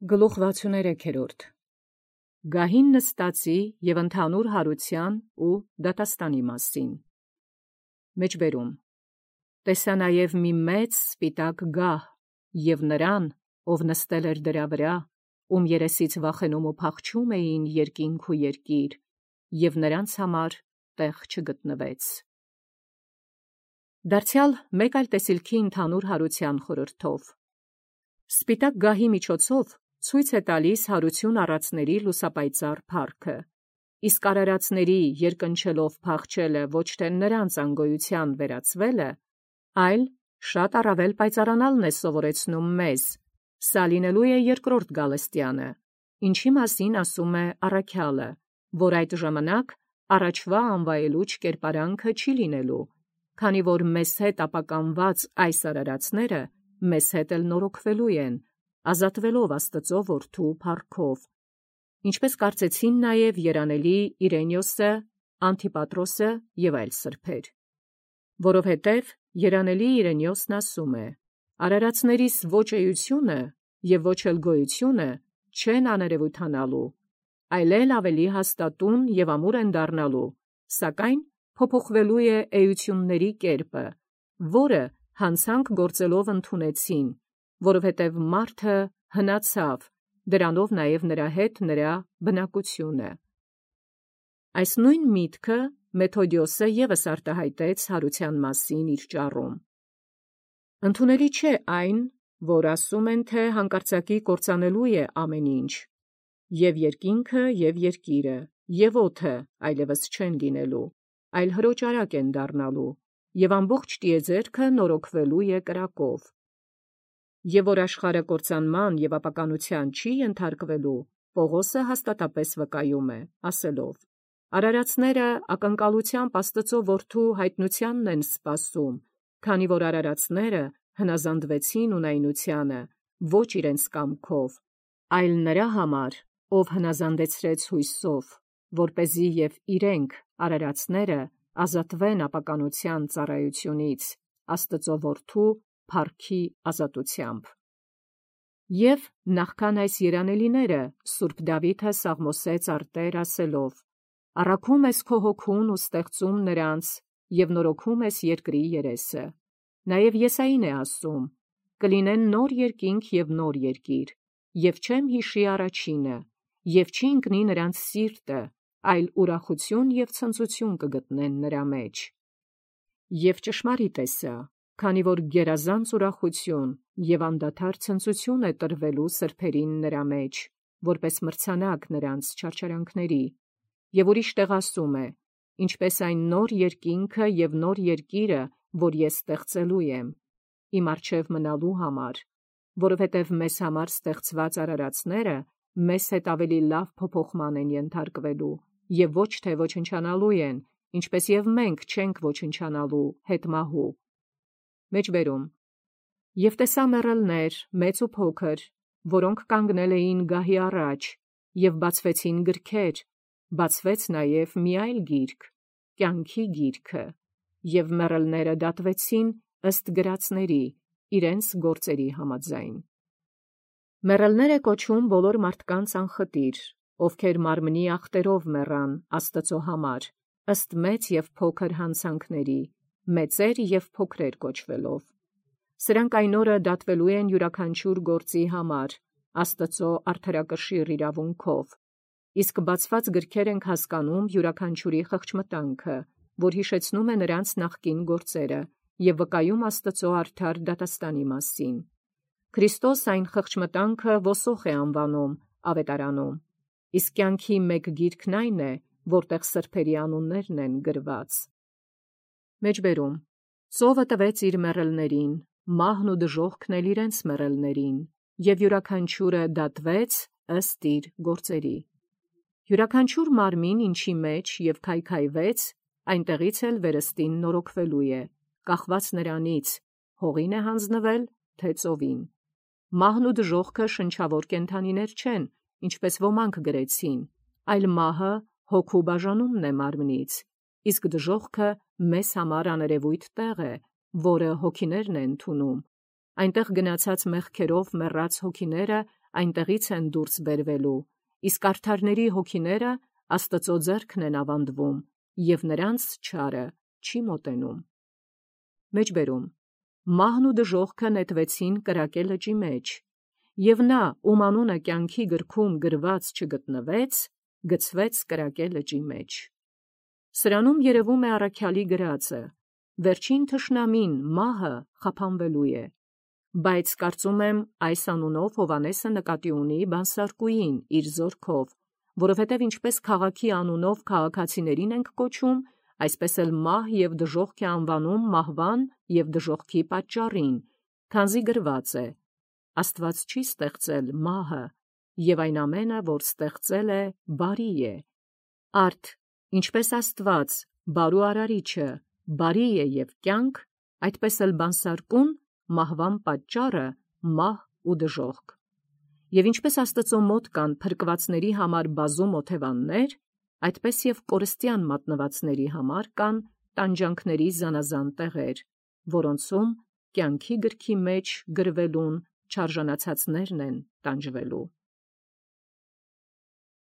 Գլուխ 63 Գահին նստածի և ընդհանուր հարության ու դատաստանի մասին։ Մեջբերում տեսա նաև մի մեծ սպիտակ գահ և նրան, ով նստել էր դրա վրա, ում երեսից վախենում ու փախչում էին երկինք ու երկիր, և նրանց համար տեղ չգտնվեց։ Դարձյալ մեկ այլ տեսիլքի ընդհանուր հարության խորհրդով։ Սպիտակ գահի միջոցով ցույց է տալիս հարություն առածների լուսապայծառ փառքը, իսկ արարածների երկնչելով փախչելը ոչ թե նրանց անգոյության վերածվելը, այլ շատ առավել պայծառանալն է սովորեցնում մեզ, սա լինելու է երկրորդ գալստյանը, ինչի մասին ասում է առաքյալը, որ այդ ժամանակ առաջվա անվայելուչ կերպարանքը չի լինելու, քանի որ մեզ հետ ապականված այս արարածները մեզ հետ էլ նորոգվելու են, ազատվելով Աստծո որդու փառքով, ինչպես կարծեցին նաև երանելի Իրենիոսը, Անտիպատրոսը և այլ սրբեր։ Որովհետև երանելի Իրենիոսն ասում է. «Արարածներիս ոչ էությունը և ոչ էլ գոյությունը չեն աներևութանալու, այլ ավելի հաստատուն և ամուր են դառնալու, սակայն փոփոխվելու է էությունների կերպը, որը հանցանք գործելով ընդունեցին, որովհետև մարդը հնացավ, դրանով նաև նրա հետ նրա բնակությունը»։ Այս նույն միտքը Մեթոդիոսը ևս արտահայտեց հարության մասին իր ճառում։ Ընդունելի չէ այն, որ ասում են, թե հանկարծակի կործանելու է ամեն ինչ, և երկինքը, և երկիրը, և օդը այլևս չեն լինելու, այլ հրոճարակ են դառնալու, և ամբողջ տիեզերքը նորոգվելու է կրակով։ Եվ որ աշխարհը կործանման և ապականության չի ենթարկվելու, Պողոսը հաստատապես վկայում է, ասելով. «Արարածները ակնկալությամբ Աստծո որդու հայտնությանն են սպասում, քանի որ արարածները հնազանդվեցին ունայնությանը, ոչ իրենց կամքով, այլ նրա համար, ով հնազանդեցրեց հույսով, որպեսզի և իրենք, արարածները, ազատվեն ապականության ծառայությունից, Աստծո որդու փառքի ազատությամբ»։ Եվ նախքան այս երանելիները սուրբ Դավիթը սաղմոսեց արտեր ասելով. «Առաքում ես քո հոգուն ու ստեղծում նրանց և նորոգում ես երկրի երեսը»։ Նաև Եսային է ասում. «Կլինեն նոր երկինք և նոր երկիր, և չեմ հիշի առաջինը, և չի ընկնի նրանց սիրտը, այլ ուրախություն և ցնծություն կգտնեն նրա մեջ»։ Եվ ճշմարիտ է սա, քանի որ գերազանց ուրախություն և անդադար ցնծություն է տրվելու սրբերին նրա մեջ, որպես մրցանակ նրանց չարչարանքների։ Եվ ուրիշ տեղ ասում է. «Ինչպես այն նոր երկինքը և նոր երկիրը, որ ես ստեղծելու եմ, իմ առջև մնալու համար, որովհետև մեզ համար ստեղծված արարածները մեզ հետ ավելի լավ փոփոխման են ենթարկվելու և ոչ թե ոչնչանալու են, ինչպես և մենք չենք ոչնչանալու հետմահու»։ Մեջբերում «Եվ տեսա մեռելներ, մեծ ու փոքր, որոնք կանգնել էին գահի առաջ, և բացվեցին գրքեր, բացվեց նաև մի այլ գիրք, կյանքի գիրքը, և մեռելները դատվեցին ըստ գրածների, իրենց գործերի համաձայն»։ Մեռելներ է կոչում բոլոր մարդկանց անխտիր, ովքեր մարմնի ախտերով մեռան Աստծո համար, ըստ մեծ և փոքր հանցանքների, մեծեր և փոքրեր կոչվելով։ Սրանք այն օրը դատվելու են յուրաքանչյուր գործի համար, Աստծո արդարակշիռ իրավունքով, իսկ բացված գրքեր ենք հասկանում յուրաքանչյուրի խղճմտանքը, որ հիշեցնում է նրանց նախկին գործերը և վկայում Աստծո արդար դատաստանի մասին։ Քրիստոս այն խղճմտանքը ոսոխ է անվանում ավետարանում, իսկ կյանքի մեկ գիրքն այն է, որտեղ սրբերի անուններն են գրված։ Մեջբերում ծովը տվեց իր մեռելներին, մահն ու դժոխքն էլ իրենց մեռելներին, և յուրաքանչյուրը դատվեց ըստ իր գործերի։ Յուրաքանչյուր մարմին, ինչի մեջ և քայքայվեց, այնտեղից էլ վերստին նորոգվելու է, կախված նրանից, հողին է հանձնվել, թե ծովին։ Մահն ու դժոխքը շնչավոր կենդանիներ չեն, ինչպես ոմանք գրեցին, այլ մահը հոգու բաժանումն է մարմնից, իսկ դժոխքը մեզ համար աներևույթ տեղ է, որը հոգիներն է ընդունում։ Այնտեղ գնացած մեղքերով մեռած հոգիները այնտեղից են դուրս բերվելու, իսկ արդարների հոգիները Աստծո ձեռքն են ավանդվում, և նրանց չարը չի մոտենում։ Մեջբերում. մահն ու դժոխքը նետվեցին կրակե լճի մեջ, և նա, ում անունը կյանքի գրքում գրված չգտնվեց, գցվեց կրակե լճի մեջ։ Սրանում երևում է առաքյալի գրածը. վերջին թշնամին մահը խափանվելու է, բայց կարծում եմ այս անունով Հովհաննեսը նկատի ունի բանսարկուին իր զորքով, որովհետև ինչպես քաղաքի անունով քաղաքացիներին ենք կոչում, այսպես էլ մահ և դժոխք է անվանում մահվան և դժոխքի պատճառին, քանզի գրված է. Աստված չի ստեղծել մահը, և այն ամենը, որ ստեղծել է, բարի է։ Արդ, ինչպես Աստված, բարու արարիչը, բարի է և կյանք, այդպես էլ բանսարկուն մահվան պատճառը մահ ու դժոխք։ Եվ ինչպես Աստծո մոտ կան փրկվածների համար բազում օթևաններ, այդպես և կորստյան մատնվածների համար կան տանջանքների զանազան տեղեր, որոնցում կյանքի գրքի մեջ գրվելուն չարժանացածներն են տանջվելու։